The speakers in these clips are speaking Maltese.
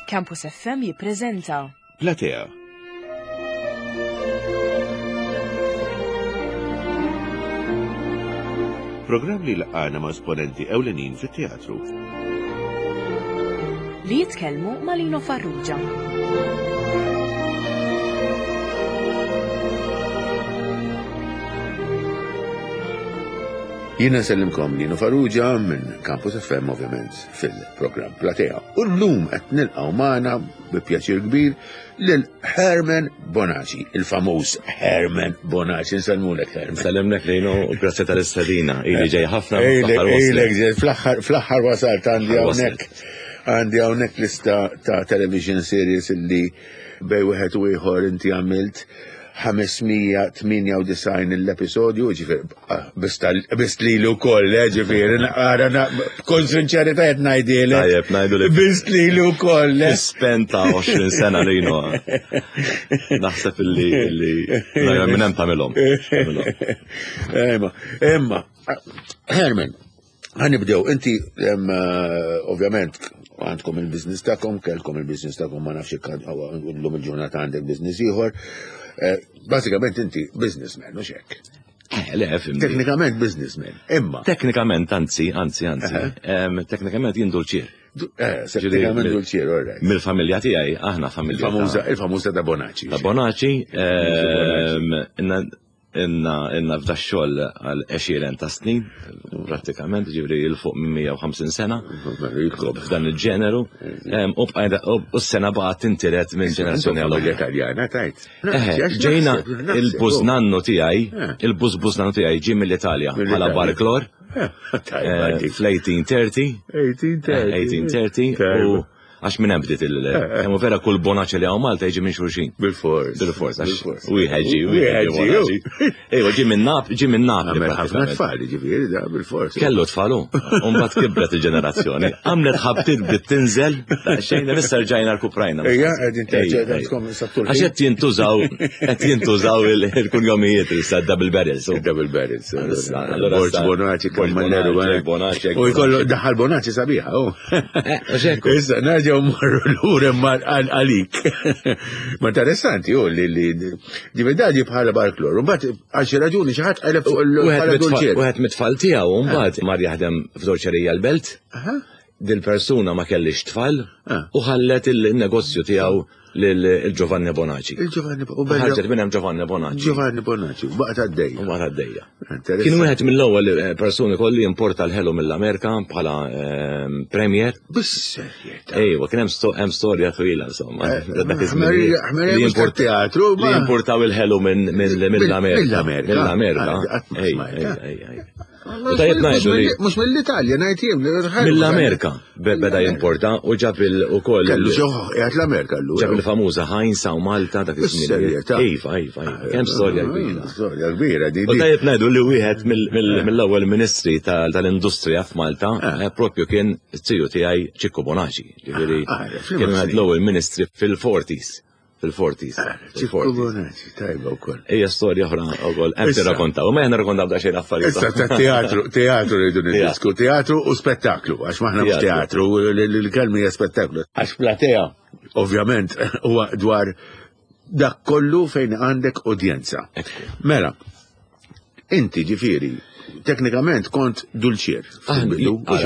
Campus FM jippreżenta. Platea. Programm li laqgħana ma' esponenti ewlenin fit-teatru. Li jitkellmu ma' Lino Farrugia. Jiena nsellimkom Lino Farrugia minn Campus FM ovvjament fil-programm Platea. U llum qed nilqgħu magħna bi pjaċir kbir lil Herman Bonaci, il-famuż Herman Bonaci. Nsellmulek Herman. Nsellimlek Lino u grazzi tal-istedina. Ili ġej ħafna. Ilek ġej fl-aħħar wasalt għandi hawnhekk għandi hawnhekk lista ta' television series illi bej wieħed u ieħor inti għamilt 598 l-episodju, ġifieri ah, biss li wkoll, eh, ġifieri, naqara b'kull sinċerità qed ngħidilek. Tajjeb, ngħidu li. Biss li wkoll. Eh. Spent ta' 20 sena lino. Naħseb illi illi minn hemm tagħmilhom. Imma, imma, Herman, Ħanibdew, inti eh, ovvjament għandkom il-biznis tagħkom, kellkom il-biznis tagħkom ma nafx illum il-ġurnata għandek biznis ieħor. Eh, bażikament inti businessman, mhux hekk. Eh, le, fimni. Teknikament businessman, imma. Teknikament, anzi, anzi, anzi. Teknikament jien dulċier. Teknikament dulċier, all right. Mill-familja tiegħi, aħna familja. Il-famuża da Bonaci. Da Bonaci, Inna inna f'da xogħol għal għexieren ta' snin, prattikament, ġifri il fuq minn 150 sena. F'dan il-ġeneru. U bqajna u s-sena baqgħet tintiret minn ġenerazzjoni għal oħra. Italjana tajt. Ġejna il-bużnannu tiegħi, il-bużbużnannu tiegħi ġie mill-Italja bħala barklor. Fl-1830. 1830. 1830. Għax minn hemm bdiet il- Hemm vera kull bonaċ li hawn Malta jiġi minn xulxin. Bil-fors. Bil-fors, għax wieħed ġi, wieħed ġi. Ejwa, ġi minn Nap, ġi minn Napli. Għamel ħafna tfal, ġifieri, da bil-fors. Kellu tfalu, u mbagħad kibret il-ġenerazzjoni. Għamlet ħabtiet bdiet tinżel, xejn issa rġajna rkuprajna. Ejja, qegħdin terġa' sattur. Għax qed jintużaw, qed jintużaw il-kunjomijiet issa double barrels. Double barrels. Borġ Bonaci, Kammanneru, Bonaci. U jkollu daħal Bonaci sabiħa, oh. Eh, Issa, nerġaw marru l-ura għalik. Ma interessanti, u li li ġivedadi bħala barklor. Mbagħad għal xi raġuni xi ħadd qaleb bħala dolċier. Wieħed mit-tfal tiegħu mbagħad mar jaħdem f'dolċerija l-belt. Dil-persuna ma kellix tfal ah. u ħallet il-negozju tiegħu lil Giovanni Bonaci. Il-Giovanni Bonaci. Ħarġet minn hemm Giovanni Bonaci. Giovanni Bonaci, baqgħet għaddejja. Baqgħet għaddejja. Kien wieħed mill-ewwel eh, persuni kolli importa l-ħelu mill-Amerika bħala ehm, premier. Bis-serjetà. Ejwa, kien hemm storja twila insomma. Eh, li teatru. Li importaw il-ħelu mill-Amerika. Mill-Amerika. Mill-Amerika. Ah, U tajjeb ngħidu li. Mhux mill-Italja ngħid jien. Mill-Amerika beda jimporta u ġab il ukoll. Kellu ġoħ qiegħed l-Amerika llum. Ġab il-famuża Heinz hawn Malta dak iż-żmien. Iva, iva, iva. Kemm storja kbira. Storja kbira di. U tajjeb ngħidu li wieħed mill-ewwel ministri tal-industrija f'Malta eh, propju kien it-tiju tiegħi Ċikku Bonaci. Ġifieri ah, ah, kien wieħed l-ewwel ministri fil-40s fil-forties. Ċikku Bonaci, tajba wkoll. Ejja storja oħra wkoll, hemm tirrakontaw, ma jien nirrakontaw daqsxejn affarijiet. Issa ta' teatru, teatru rridu niddisku, teatru u spettaklu, għax maħna mhux teatru, l-kelma hija spettaklu. Għax platea, ovvjament, huwa dwar dak kollu fejn għandek udjenza. Mela, inti ġifieri, teknikament kont dulċier.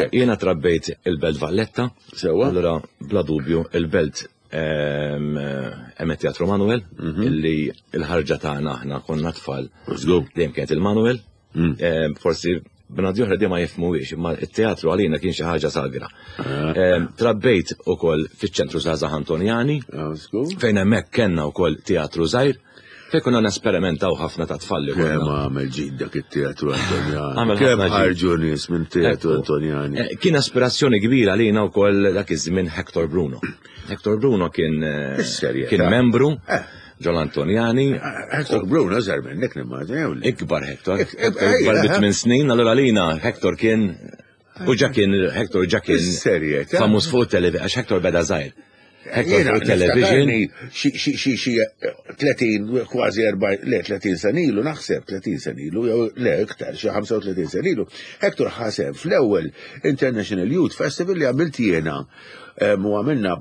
Jiena trabbejt il-Belt Valletta. Sewa. Allura, bla dubju, il-Belt Hemm Teatru Manuel, mhm. illi l-ħarġa tagħna aħna konna tfal. Dejjem kienet il-Manuel. Mm. Forsi bnadi oħra dejjem ma jifhmuhiex, imma t-teatru għalina kien xi ħaġa sagra. Ah. Trabbejt ukoll fiċ-ċentru Żgħażagħ Antonjani, ah, fejn hemmhekk kellna wkoll teatru żgħir. Fejn konna nesperimentaw ħafna ta' tfal li konna. Kemm għamel ġid dak it-teatru Antonjani. Kemm ħarġu nies minn teatru Antonjani. Eh, kien aspirazzjoni kbira lina wkoll dak iż-żmien Hector Bruno. Hector Bruno kien eh, kien membru eh. ġol Antonjani. Hector Bruno żar minnek nimmaġina. Ikbar Hector. Ikbar bi tmien snin, allura lina Hector kien U ġa kien, Hector ġa kien. Serjetà. Famuż fuq television, għax Hector beda żgħir. Hector fuq television. Xi xi 30 kważi 40, le 30 sena ilu naħseb 30 sena ilu, jew le iktar xi 35 sena ilu. Hector ħaseb fl-ewwel International Youth Festival li għamilt jiena. U għamilna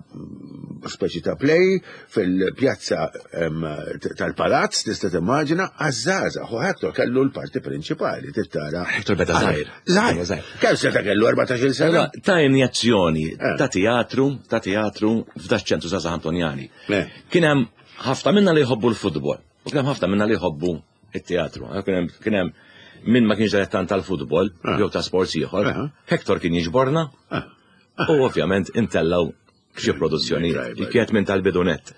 speċi ta' play fil-pjazza tal-palazz, tista' timmaġina, għaż-żgħażagħ. U Hector kellu l-parti prinċipali, tittara. Hector beda żgħir. Żgħir. Kemm seta' kellu 14-il sena? Ta' injazzjoni eh. ta' teatru, ta' teatru f'da ċentru Żgħażagħ Antonjani. Eh. Kien hemm ħafna minna li jħobbu l-futbol. U kien hemm ħafna minna li jħobbu it-teatru. Eh, kien hemm min ma kienx dilettant tal-futbol jew ta' sports ieħor. Hector kien jiġborna U ovvjament intellaw xi produzzjoni li kienet minn tal-bidunet.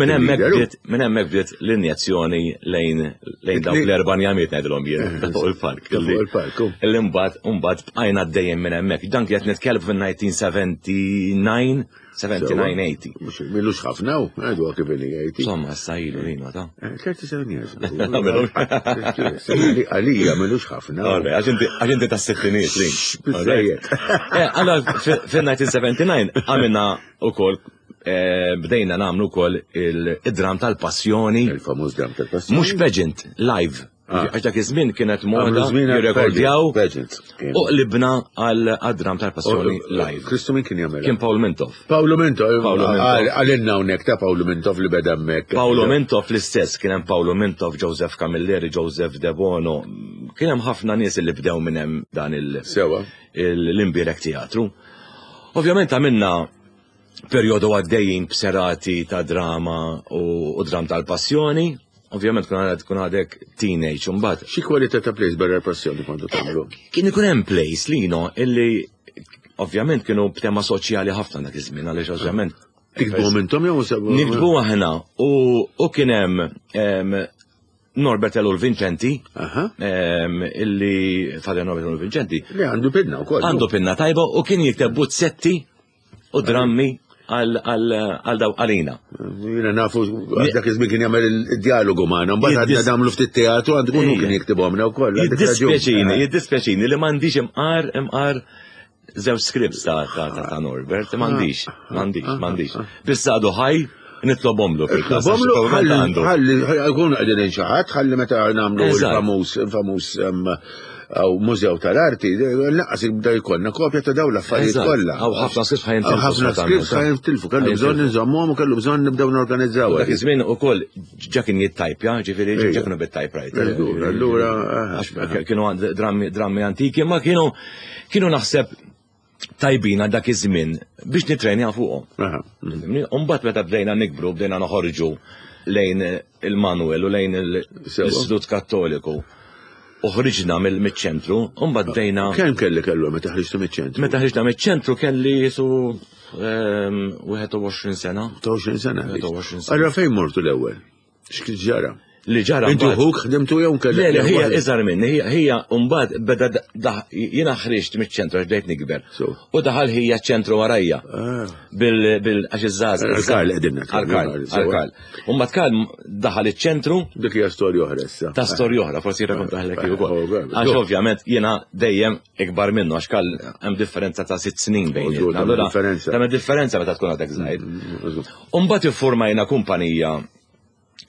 Minn hemmhekk bdiet minn hemmhekk bdiet l-injezzjoni lejn lejn dawk l-erba' njamiet ngħidilhom jien ta' fuq il-park. Fuq il-park. Illi mbagħad mbagħad bqajna dejjem minn hemmhekk. Dan kienet nitkellem fin-1979 79-80. Milux ħafna u, għadu kif li għajti. Insomma, issa ilu lina ta' 37 years. Għalija milux ħafna. Għax inti ta' sittiniet li. Eh, allora, fil-1979 għamilna u koll eh, bdejna namlu kol il-dram tal-passjoni. Il-famuż dram tal-passjoni. Mux pageant, live. Ah. Għax dak iż-żmien kienet moda jirrekordjaw u qlibna għal dram tal-passjoni live. Kristu min kien jagħmel? Kien Paul Mintoff. Paolo Mintoff, għalinna hawnhekk ta' Paolo Mintoff li beda hemmhekk. Paolo Mintoff l-istess kien hemm Paolo Mintoff, Joseph Camilleri, Joseph Debono. Kien hemm ħafna nies li bdew minn hemm dan il- Sewa. l-imbierek teatru. Ovvjament għamilna perjodu għaddejjin b'serati ta' drama u dram tal-passjoni. Ovvjament kun għadek kun għadek teenage mbagħad. Xi kwalità ta' plays barra l-passjoni kontu tagħmlu? Kien ikun hemm plays lino illi ovvjament kienu b'tema soċjali ħafna dak iż-żmien għaliex ovvjament Tiktbu intom jew Niktbu aħna u kien hemm Norbert Elul Vincenti, illi Father Norbert Elul Vincenti. Li għandu pinna wkoll. Għandu pinna tajba u kien jikteb buzzetti u drammi għal daw għalina. Jina nafu dak iż-żmien kien jagħmel il-dialogu magħna, mbagħad għadna nagħmlu ftit teatru għandu kunu kien jiktibhomna wkoll. Jiddispjaċini, jiddispjaċini li m'għandix imqar imqar żewġ scripts ta' ta' ta' Norbert, m'għandix, m'għandix, m'għandix. Biss għadu ħaj, nitlobhomlu. Nitlobhomlu, ħalli jkun qegħdin xi ħadd, ħalli meta nagħmlu il-famuż, il-famuż għaw mużew tal-arti, naqqas jibda jkollna kopja ta' daw l-affarijiet kollha. Għaw ħafna scripts ħajn tilfu. Ħafna scripts ħajn tilfu, kellu bżonn nżommuhom u kellu bżonn nibdew norganizzaw. Dak iż-żmien ukoll ġa kien jittajpja, ġifieri ġa kienu bit-typewriter. Allura kienu drammi antiki, ma kienu Kienu naħseb tajbin għal dak iż-żmien biex nitrenjaw fuqhom. Umbagħad meta bdejna nikbru, bdejna noħorġu lejn il-Manuel u lejn l-Istitut Kattoliku. U ħriġna mill-ċentru, mbagħad bdejna. Kemm kelli kellu meta ħriġtu miċ-ċentru? Meta ħriġna miċ-ċentru kelli jisu 21 ehm, sena. 21 sena. 21 sena. Allora fejn mortu l-ewwel? X'kien ġara? Li ġara. Inti ħuk ħdimtu jew kellek? Le, le, hija iżgħar minni, hija mbagħad beda jiena ħriġt miċ-ċentru għax bdejt nikber. U daħal ħija ċentru warajja. Ah. Bil bil għax iż-żgħażagħ. Għal-Karl qegħdin Għal-Karl, għal-Karl. U mbagħad Karl daħal iċ-ċentru. Dik hija storja oħra issa. Ta' storja oħra, forsi jirrakkontahlek ukoll. Oh, għax ovvjament jiena dejjem ikbar minnu għax Karl hemm differenza ta' sitt snin bejn. Allura hemm differenza meta tkun għadek żgħir. Mm, mm, mm, Umbagħad iffurmajna kumpanija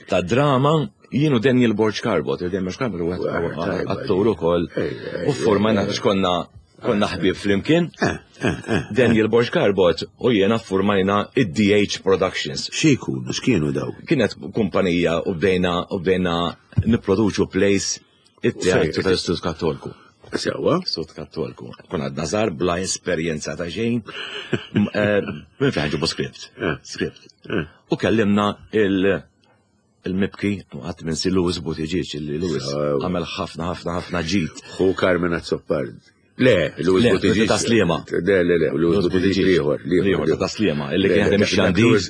ta' drama jien u Daniel Borg Carbot, Daniel Borg Carbot huwa attur ukoll, u ffurmajna għax konna konna ħbieb flimkien. Eh, eh, eh, Daniel Borg Carbot u jiena ffurmajna id-DH Productions. Xi jkunu, x'kienu daw? Kienet kumpanija u bdejna u bdejna nipproduċu plays It-teatru tal-Istitut Kattolku. Sewa. Istitut Kattolku. Kun għadna żgħar bla esperjenza ta' xejn. Eh, minn fejn ġibu script. Eh. Script. Eh. U kellimna il- il-mibki għat minn si Louis Buttigieg, li Louis għamel ħafna ħafna ħafna ġid. Hu Carmen Azzopardi. Le, Louis Buttigieg. Ta' Sliema. Le, le, le, Louis Buttigieg liħor. Liħor, ta' Sliema, illi kien jaħdem ix-xandir.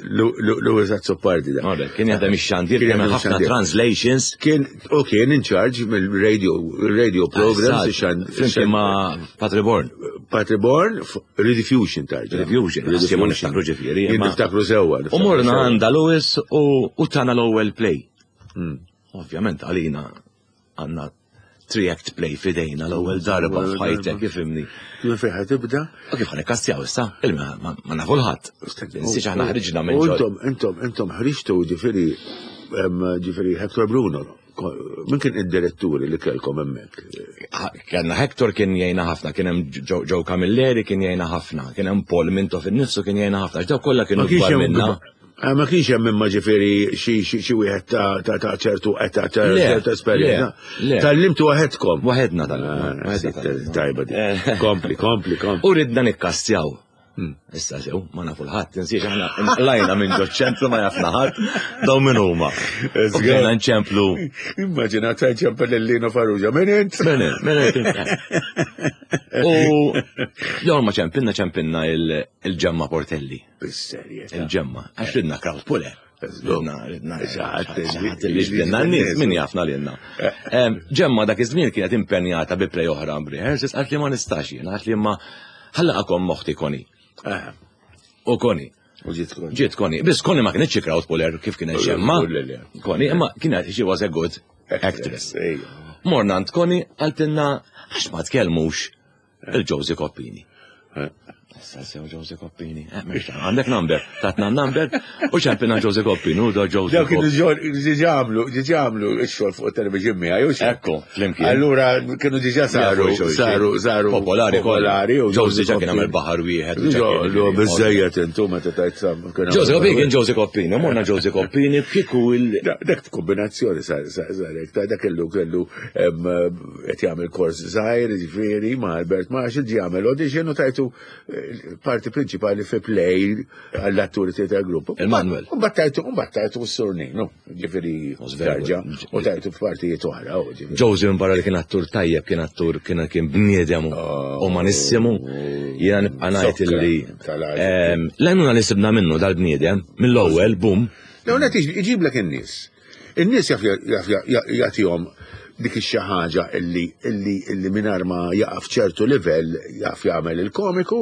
Louis Azzopardi da. Kien jaħdem ix-xandir, kien jagħmel ħafna translations. Kien, u kien in charge mill-radio, radio programs. Flimkien ma' Patri Born. Patri Born, Rediffusion tarġa. Rediffusion, Rediffusion. Niftakru ġifieri. Niftakru sewwa. U morna għanda Louis u tana l-ewwel play. Hmm. Ovvjament għalina għandna three-act play fidejna l-ewwel darba f'ħajtek, ifimni. Kif fejn ħa tibda? U kif ħa nikkastjaw issa? Il-ma ma nafu l-ħadd. Nsiex aħna ħriġna minn Intom, intom, intom ħriġtu ġifieri ġifieri Hector Bruno. Min kien id-diretturi li kellkom hemmhekk? Kellna Hector kien jgħinna ħafna, kien hemm Joe Camilleri kien jgħinna ħafna, kien hemm Paul Mintoff innifsu kien jgħinna ħafna, għax dawk kollha kienu kbar minna. Ah, ma kienx hemm imma ġifieri xi wieħed ta' ċertu età ta' ċertu esperjenza. Tallimtu waħedkom. Waħedna tal-limtu. Ah, tajba di. Eh. Kompli, kompli, kompli. U ridna nikkastjaw. Hmm. Issa sew, ma nafu l-ħadd, tinsiex aħna nqlajna minn ġo ċentru ma jafna ħadd, daw minn huma. Bdejna nċemplu. Immaġina ta' ċempel lil-Lino Farrugia, minn int? Minn int, minn int. U jew ma ċempilna ċempilna il-ġemma Portelli. Bis-serjetà. Il-ġemma, għax ridna crowd puller. Ridna, ridna, ridna, ridna, n-nies, min jafna lilna. Eh. Ġemma dak iż-żmien kienet impenjata bi play oħra b'rehearsals, għalt li ma nistax jien, għalt li ma ħallaqakom moħti koni. Eh. U koni. U ġiet koni. Ġiet koni. Biss koni ma kienx crowd puller kif kienet ġemma. Koni, imma kienet she was a good actress. Morna għand koni għaltinna għax ma tkellmux Il-Josie Koppini. Eh. Issa sew Josie Koppini. Eh, għandek number, tatna number, u ċempina Josie Koppini, u do Josie Dawk kienu ġiġamlu, ġiġamlu x-xogħol fuq television miegħi, u Ekku, flimkien. Allura kienu diġà saru, saru, saru. Popolari, popolari. U Josie ġa kien għamel baħar wieħed. Ġo, biżejjed intu meta tajt sam. Josie Koppini kien Josie Koppini, morna Josie Koppini, kieku il. Dak kombinazzjoni sar, sar, sar, dak kellu kellu qed jagħmel kors żgħir, jiġifieri ma' Albert Marshall ġie jagħmel audition u tajtu eh, parti prinċipali fi play għall-atturi theater group. Il-Manuel. U battajtu, u battajtu s-surninu, ġifieri tarġa, u tajtu f'partijiet oħra. Josie minn barra li kien attur tajjeb, kien attur, kien kien bniedem oh. umanissimu, jiena nibqa' ngħid illi ehm, l-għajnuna li sibna minnu dal-bniedem, mill-ewwel, bum. L-ewwel iġiblek in-nies. In-nies jaf jagħtihom dik ix-xi ħaġa illi illi illi mingħajr ma jaqa' f'ċertu livell jaf jagħmel il-komiku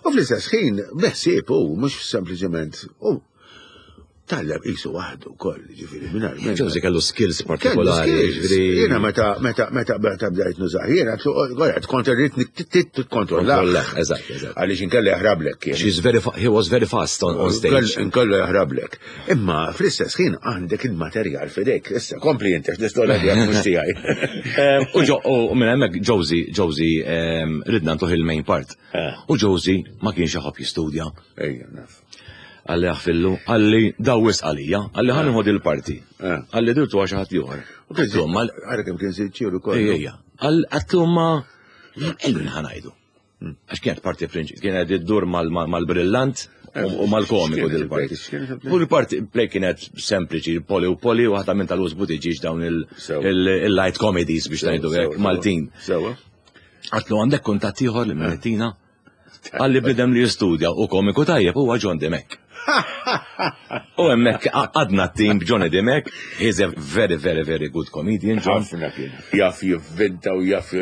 u fl-istess ħin beħsieb hu mhux sempliċement u tgħallem qisu waħdu wkoll, ġifieri mingħajr. Ġożi kellu skills partikolari, ġifieri. Jiena meta meta meta meta bdejt nużah, jiena għed kont irrid tikkontrolla. Eżatt, eżatt. Għaliex inkella jaħrablek. She's very he was very fast on, on stage. Inkella jaħrablek. Imma fl-istess ħin għandek il-materjal f'idejk. Issa kompli inti l-istorja tiegħek mhux tiegħi. Ehm, u ġo u minn hemmhekk Josie, Josie ehm, ridna ntuh il-main part. Eh. U Josie ma kienx iħobb jistudja. Ejja, naf. Għalli għafillu, għalli dawis għalija, għalli ħan nħod il-parti. Eh. Għalli dirtu għax ħadd ieħor. U kien għara kemm kien sinċieru kollu. Ejja, għalli ma illu ħanajdu. Għax kienet parti prinċi, kienet iddur mal-brillant u mal-komiku dil-parti. U l-parti play kienet sempliċi, poli u poli, u ħata minn tal-użbu tiġiġ dawn il-light comedies biex ngħidu hekk Maltin. Għatlu għandek kuntatt ieħor li minn Għalli bidem li jistudja u komiku tajjeb huwa John Dimek. U hemmhekk għadna t-tim b'Johnny Dimek, he's a very, very, very good comedian, John. Ħafna kien. Jaf jivvinta u jaf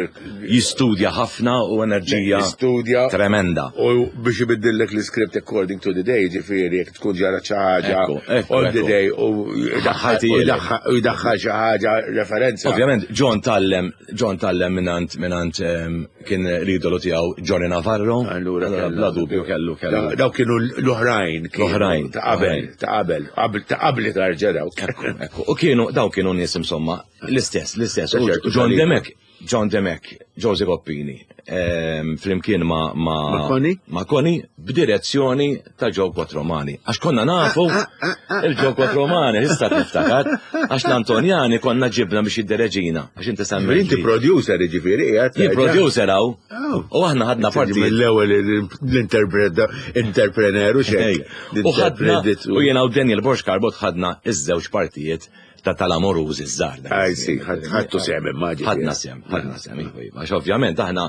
Jistudja ħafna u enerġija Jistudja. tremenda. U biex ibiddillek l-script according to the day, ġifieri jekk tkun ġara xi ħaġa on the day u jdaħħal xi ħaġa referenza. Ovvjament, John tallem John tallem minant minant ehm, kien l-idolu tiegħu Johnny Navarro. Allura bla dubju kellu kellu. Daw kienu l-oħrajn. L-oħrajn. Ta' qabel, ta' qabel, qabel ta' qabli tarġa dawk. Ekku, u kienu daw kienu nies insomma l-istess, l-istess. John Demek, John Demek, Josie Coppini, ehm, flimkien ma' ma' Koni? Ma' Koni b'direzzjoni ta' Joe Quattromani. Għax konna nafu ah, ah, ah, il-Joe Quattromani, issa tiftakar, għax l-Antonjani konna ġibna biex jiddereġina. Għax inti semmi. Inti producer ġifieri qiegħed. Jien producer hawn. Oh. U aħna ħadna parti. Mill-ewwel l-interprener u xejn. U ħadna u jiena u Daniel Borx Carbot ħadna iż-żewġ partijiet ta' tal-amorużi żgħar. Għaj si, ħadtu sem immaġi. Ħadna sem, ħadna sem, iva, iva. Għax ovvjament aħna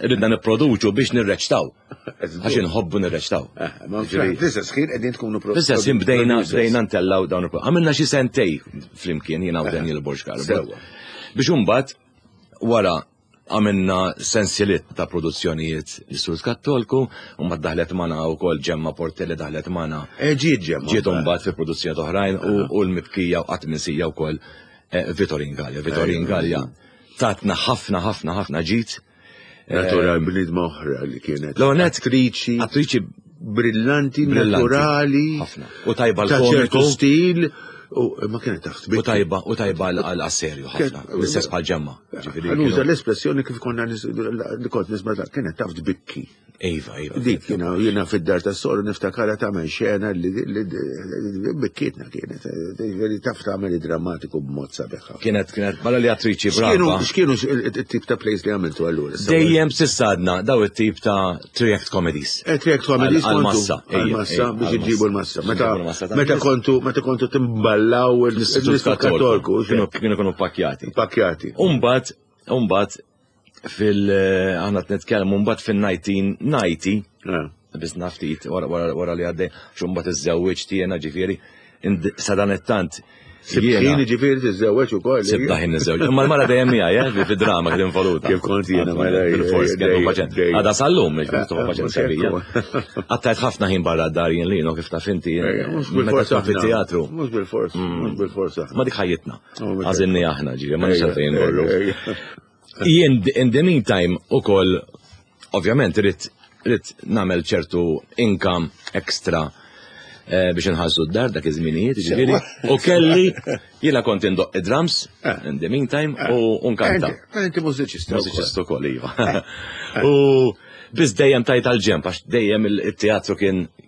ridna nipproduċu biex nirreċtaw. Għax inħobbu nirreċtaw. Eh, fl-istess ħin qegħdin tkunu Fl-istess ħin bdejna bdejna ntellaw dawn il Għamilna xi sentej flimkien jiena u eh, Daniel Borg Biex imbagħad wara Għamilna sensiliet ta' produzzjonijiet l-Sur Kattolku, u ma daħlet magħna wkoll Ġemma Portelli daħlet magħna. Eh, ġiet Ġemma. Ġiet imbagħad fi produzzjonijiet oħrajn u l-mibkija u qatt minsija wkoll eh, Vitorin Gallia. Vitorin Gallia tatna ħafna ħafna ħafna ġid. Natural bnidma oħra li kienet. L-għonet. Attriċi. Attriċi brillanti, naturali. Ħafna. U tajba l-komiku. stil. U ma kienet taf U tajba, u tajba għal serju ħafna. L-istess bħal Ġemma. Ġifieri Nuża l-espressjoni kif konna li kont nisma' kienet taf tbikki. Iva. Dik jiena fid-dar tas-soru niftakara tagħmel xena li bikkietna kienet. Li taf tagħmel drammatiku b'mod sabiħ. Kienet bħala li attriċi brava. X'kienu it-tip ta' plays li għamiltu allura? Dejjem s'issa għadna daw it-tip ta' three-act comedies. Three-act comedies għal-massa. Għal-massa biex iġibu l-massa. Meta kontu timballaw l-Istitut Kattoliku. Kienu kienu pakjati. Pakjati. Umbat, aħna nitkellmu mbagħad fil-1990, biss naftit wara li għaddej, xumbat iż-żewġ tiegħna ġifieri, sadanittant. Sibħin ġifieri tiżżewweġ ukoll. Sibda ħin niżżewġ. Imma l-mara dejjem miegħi, fid-drama kien involuta. Kif kont jiena mela. Bil-fors kellu paċenzja. Għada sal-lum, ġifieri paċenzja bija. Qattajt ħafna ħin barra d-dar jien lino kif taf inti. Meta tkun fit-teatru. Mhux bil-fors, mhux bil-fors. Ma dik ħajjitna. Għażilni aħna ġifieri, ma nix għalfejn morru. Jien in the meantime ukoll ovvjament rrid nagħmel ċertu income extra biex nħallsu d-dar dak iż-żminijiet, ġifieri. U kelli jiena kont indoq id-drums in the meantime u nkanta. Inti mużiċista. Mużiċista wkoll, iva. U biss dejjem tajt għal-ġemp, għax dejjem il-teatru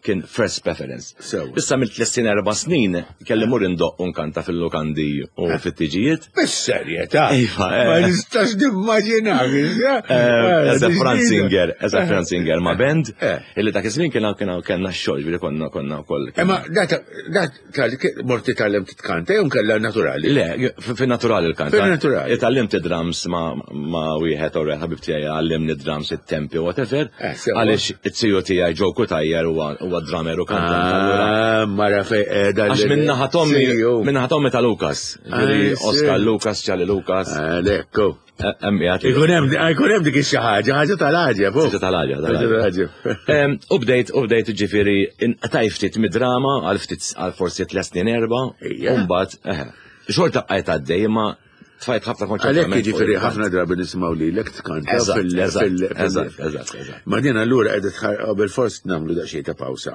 kien first preference. Issa mill 3 snin 4 snin kelli mur indoq u nkanta fil-lukandi u fit-tiġijiet. Bis-serjetà. Iva. Ma nistax nimmaġina. As a front singer, as a front singer ma' band, illi dak iż-żmien kien kellna x-xogħol, ġifieri konna wkoll. Imma dat mort titgħallem titkanta jew kellha naturali? Le, fin-naturali l-kanta. Fin-naturali. Itgħallimt drums ma' wieħed u ħabib tiegħi għallimni drums it-tempi whatever. Għaliex it-tiju tiegħi Joe Cutajar huwa drummer u kantant. Ah, mara fej qiegħda. Għax minna tommi, minna tommi ta' Lucas. Ġifieri Oscar Lucas, Charlie Lucas. Lekku. Ikun hemm dik xi ħaġa, ħaġa tal-għaġeb. Ħaġa tal-għaġeb. Tal-għaġeb. U bdejt ġifieri tajt ftit mid-drama għal ftit għal forsi 3 snin 4, u mbagħad xorta bqajt għaddej imma tfajt ħafna konċentrament. Għalhekk jiġifieri ħafna drabi nisimgħu lilek tkanta fil- Eżatt. Ma din allura qiegħda qabel forsi nagħmlu daqsxejn ta' pawsa.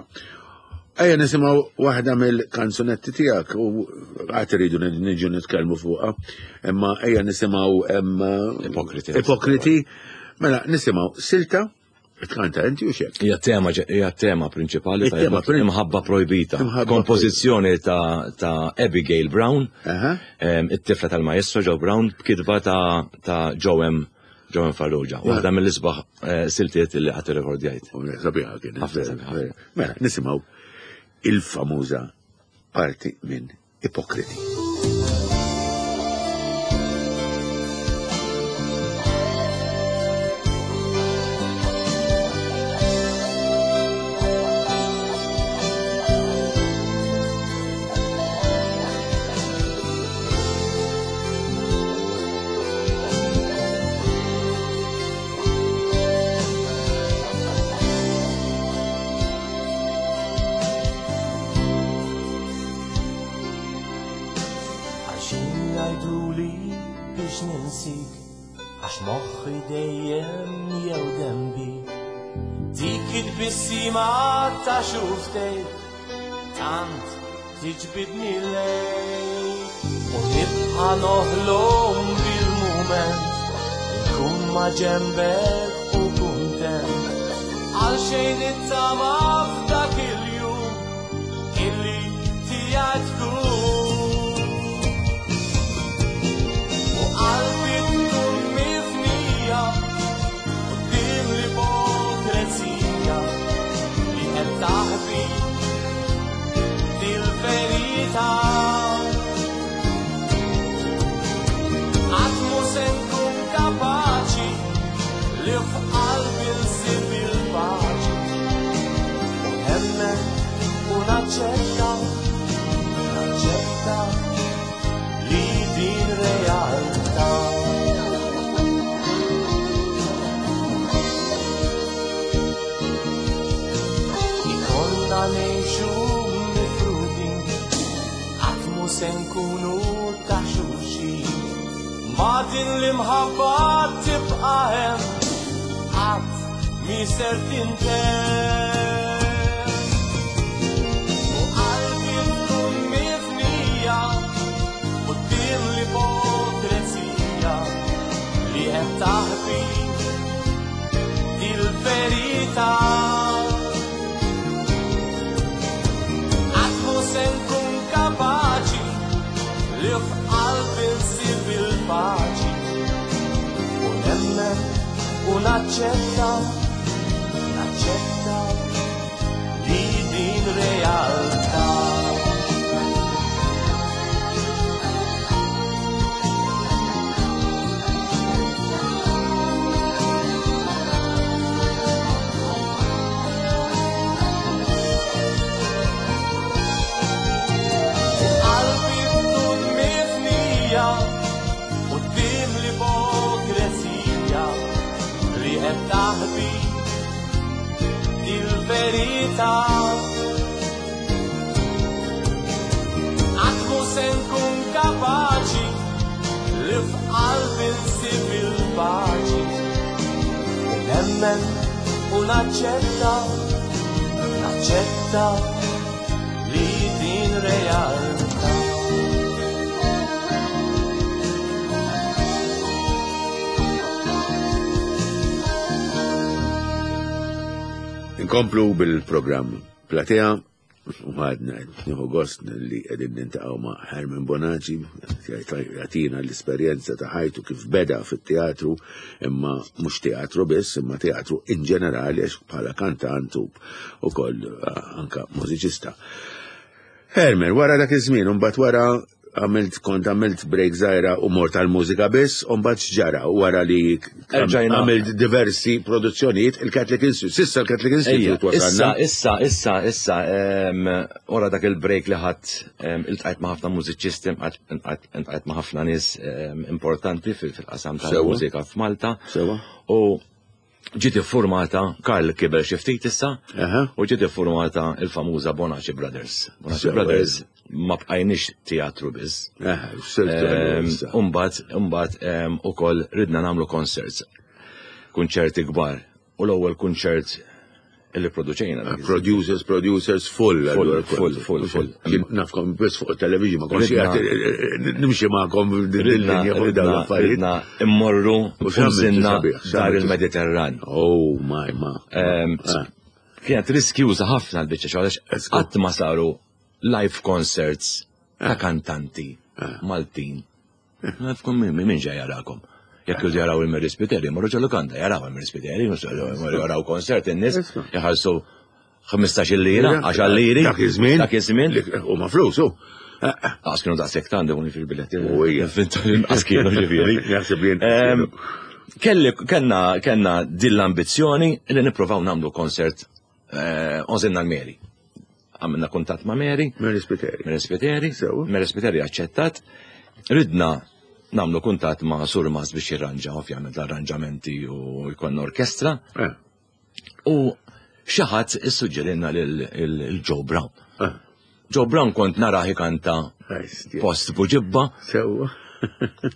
Ejja nisimgħu waħda mill-kanzunetti tiegħek u għad iridu niġu nitkellmu fuqha, imma ejja nisimgħu Ipokriti. Ipokriti. Mela nisimgħu silta tkanta inti u xek. Hija tema prinċipali ta' Il-tema Imħabba Projbita. Imħabba Kompożizzjoni ta' Abigail Brown, it-tifla tal-maestro Joe Brown, b'kitba ta' Joe M. Joe M. Farrugia. Waħda mill-isbaħ siltiet li qatt irrekordjajt. Sabiħa kien. Ħafna sabiħa. Mela, nisimgħu il-famuża parti minn Ipokriti. Għalxejn jgħiduli biex ninsik, għax moħħi dejjem jew dembi. Dik it-tbissima ta' xufftejk tant tiġbidni lejk. U nibqa' noħlom bil-mument nkun ma' ġembek u kuntent. Għalxejn it-tama f'dak il-jum illi tiegħi tkun. U qalbi tkun mifnija quddiem l-ipokrezija li qed taħbi dil-verità. Qatt mhu se nkun kapaċi li f'qalbi nsib il-paċi. U nemmen u naċċetta, naċċetta li din realtà. Ikollna ngħixu mifrudin, qatt mhu se nkunu ta' xulxin. Ma din l-imħabba tibqa' hemm, qatt mi ser tintemm. U qalbi tkun mifnija li qed taħbi il-verità. Qatt mhu se nkun kapaċi li f'qalbi nsib il-paċi u nemmen u naċċetta, naċċetta li din realtà. Qalbi tkun mifnija quddiem l-ipokresija li qed taħbi il-verità. Qatt mhu se nkun kapaċi li f'qalbi nsib il-paċi. U nemmen u naċċetta, naċċetta li din realtà. Inkomplu bil-programm Platea u għadna nieħu gost li qegħdin nintaqgħu ma' Herman Bonaci jagħtina l-esperjenza ta' ħajtu kif beda fit-teatru imma mhux teatru biss imma teatru in ġenerali għax bħala kantant u ukoll anka mużiċista. Herman, wara dak iż-żmien, imbagħad wara għamilt kont għamilt break żgħira u mort għall-mużika biss, u mbagħad x'ġara wara li għamilt diversi produzzjonijiet il-Catholic Institute. Sissa l-Catholic Institute wasalna. Issa, issa, issa, wara dak il-break li ħadd iltqajt ma' ħafna mużiċisti, iltqajt ma' ħafna nies importanti fil-qasam tal-mużika f'Malta. Sewa. U ġiet iffurmata, Karl kiber xi ftit issa, u ġiet iffurmata il-famuża Bonaci Brothers. Bonaci Brothers ma bqajniex teatru biss. Umbagħad, umbagħad ukoll ridna nagħmlu concerts. Kunċerti kbar. U l-ewwel kunċert illi produċejna. Ah, producers, producers, full. Full, full, full, full. Nafkom biss fuq television, ma konx eh, eh, nimxi ma'kom din-linja fuq dawn l-affarijiet. Ridna immorru u xamżinna dar il-Mediterran. Oh, my, ma. Ehm, ah. Kienet riskjuża ħafna l-biċċa xogħol għax qatt ma saru live concerts ta' ah. kantanti ah. Maltin. Nafkom min, min ġej jarakom. Jekk jridu jaraw il-Mary Spiteri, marru ġo lukanda, jaraw il-Mary Spiteri, jaraw konsert in-nies, jħallsu 15 lira, 10 liri. Dak iż-żmien. Dak iż-żmien. U ma flus, u. Għas kienu daqshekk tant dawn fil-biletti. U hija. Għas kienu ġifieri. Jaħseb li Kelli kellna kellna din l-ambizzjoni li nippruvaw nagħmlu konsert eh, Ożinna l-Mary. Għamilna kuntatt ma' Mary. Mary Spiteri. Mary Spiteri. Mary Spiteri aċċettat. Ridna namlu kuntatt ma' Surmas biex jirranġa ovvjament l-arranġamenti u jkollna orkestra. Eh. U xi ħadd issuġġerilna lil Joe Brown. Eh. Joe Brown kont narah ikanta post buġibba. Sewwa.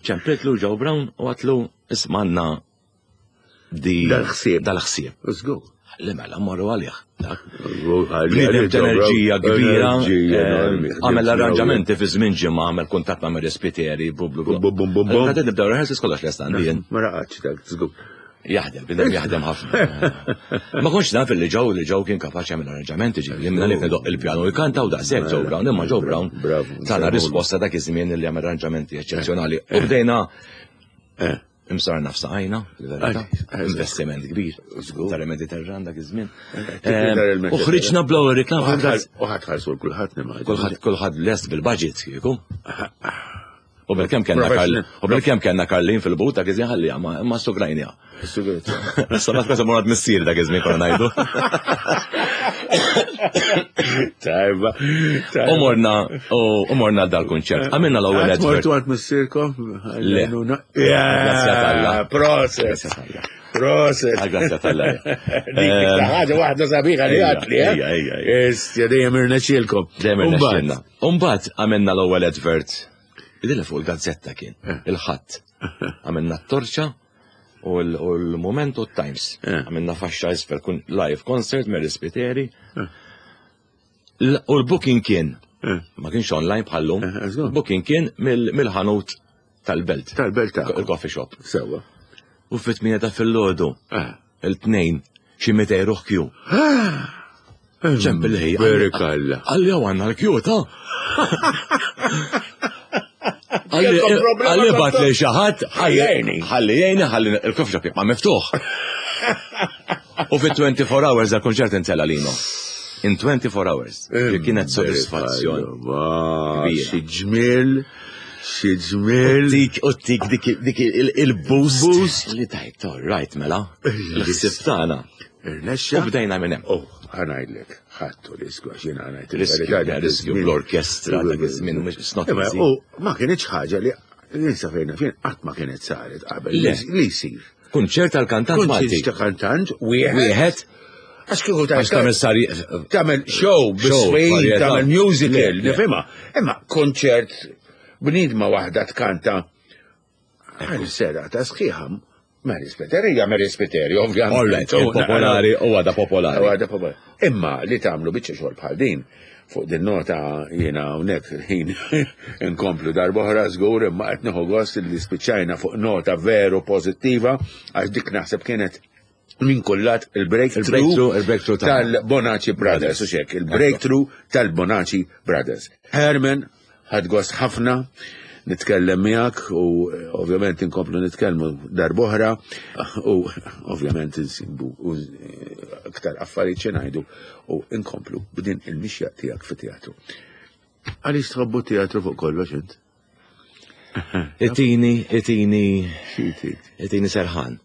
Ċemplitlu Joe Brown u għatlu ismanna di dal-ħsieb. Dal-ħsieb. Żgur. Li mela morru għalih. Bniedem t'enerġija kbira. Eh, għamel l-arranġamenti fi żmien ġimgħa, għamel kuntatt ma' Mary Spiteri, blu blu blu. Bum bum bum. Għadin nibdew rehearsals kollox lest għandi. Ma raqatx dak, żgur. Jaħdem, bidem jaħdem ħafna. Ma konx naf li ġew li ġew kien kapaċi jagħmel arranġamenti ġifieri, minna li doq il-pjanu jkanta u daqshekk Joe Brown, imma Joe Brown tana risposta dak iż-żmien li jagħmel arranġamenti eċċezzjonali. U bdejna eh. Imsarna f'saqajna, il-verità. Investiment kbir. Tal-Mediterran dak iż-żmien. U ħriġna bl-ewwel reklam. U ħadd ħarsu kulħadd nimma. Kulħadd kulħadd lest bil-budget kieku. U bil-kemm kellna Karlin, u bil-kemm kellna Karlin fil-but dak iż-żmien ħalli ma sugrajnija. Issa ma tkun morad missier dak iż-żmien konna ngħidu. Tajba. U morna, u morna dal-kunċert. Għamilna l-ewwel advert. Mortu għand missierkom? Le. Grazzja t'Alla. Proset. Proset. Grazzja t'Alla. Dik ħaġa waħda sabiħa li għatli. Ejja, ejja. Istja dejjem irnexxielkom. Dejjem irnexxielna. Umbagħad għamilna l-ewwel advert. Idilha fuq il-gazzetta kien, eh. il-ħadd. Għamilna t-torċa u l-Moment u t-Times. Eh. Għamilna faxxa isfel kun live concert Mary Spiteri. Eh. U l-booking kien, eh. ma kienx online bħallum, booking kien mill-ħanut tal-belt. Tal-belt ta' Il-coffee shop. Sewa. U fit-8 ta' filgħodu. Eh. Il-tnejn xi 200 ruħ kju. Ċempel ħej. Berikalla. Għalli għaw għanna l-kju ta' Għalli bat li xaħat, ħalli jgħini, ħalli il-coffee shop jibqa' miftuħ. U fit 24 hours da konċert intela lino. In 24 hours. Li kienet soddisfazzjon. Xi ġmiel, xi ġmiel. Dik, u dik, dik il-boost. Boost. Li tajt, all right, mela. Il-ħsib tagħna. Irnexxa. U bdejna minn hemm. Oh, ħanajdlek, ħadtu riskju għax jiena ngħid. Riskju, riskju bl-orkestra dak iż-żmien mhux it's not easy. U ma kienx ħaġa li ninsa fejn fejn qatt ma kienet saret qabel li jsir. Kunċert tal-kantant Malti. Kunċert ta' kantant wieħed. Għax kieku ta' tagħmel sari tagħmel show biswin, tagħmel musical, nifhimha. Imma konċert bniedma waħda tkanta Għal serata sħiħa, Mary Spiteri hija Mary Spiteri, ovvjament. Popolari, u għada popolari. U għada popolari. Imma li tagħmlu biċċa xogħol bħal din, fuq din nota jiena hawnhekk ħin inkomplu darb'oħra żgur imma qed nieħu gost li spiċċajna fuq nota veru pożittiva għax dik naħseb kienet minn kullat il-breakthrough il-breakthrough tal-Bonaci Brothers, u xek, il-breakthrough tal-Bonaci Brothers. Herman, ħadt gost ħafna nitkellem miegħek u eh, ovvjament inkomplu nitkellmu darb'oħra u ovvjament insibu eh, aktar affarijiet xi ngħidu u inkomplu b'din il-mixja tiegħek fit-teatru. Għaliex tħobbu teatru fuq kollox int? Itini, itini, itini serħan.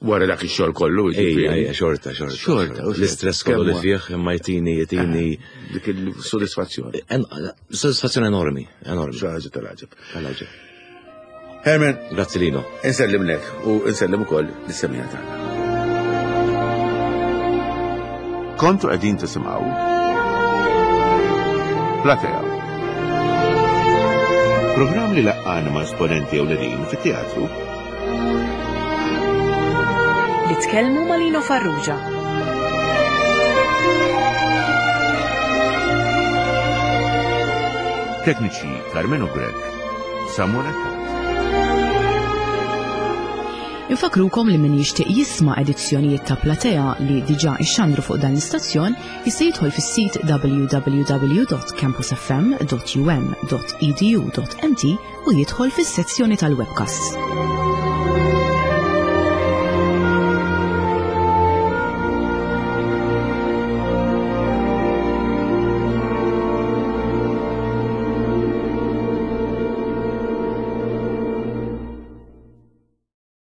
Wara dak ix-xogħol kollu, jiġifieri. Ejja, xorta, xorta. Xorta, l-istress kollu li fih imma jtini, jtini. Eh, dik il-sodisfazzjoni. Sodisfazzjoni enormi, enormi. Xi ħaġa tal-għaġeb. Tal-għaġeb. Herman. Grazzi Lino. Insellimlek u insellem ukoll lis-semija tagħna. Kontu qegħdin tisimgħu Platea. Programm li laqqana ma' esponenti ewlenin fit-teatru Li tkellmu ma' Lino Farrugia. Tekniċi Carmenu Grech, Samuel Attard. Infakrukom li min jixtieq jisma' edizzjonijiet ta' Platea li diġà ixxandru fuq dan l-istazzjon jista' jidħol fis-sit www.campusfm.um.edu.mt u jidħol fis-sezzjoni tal-webcasts.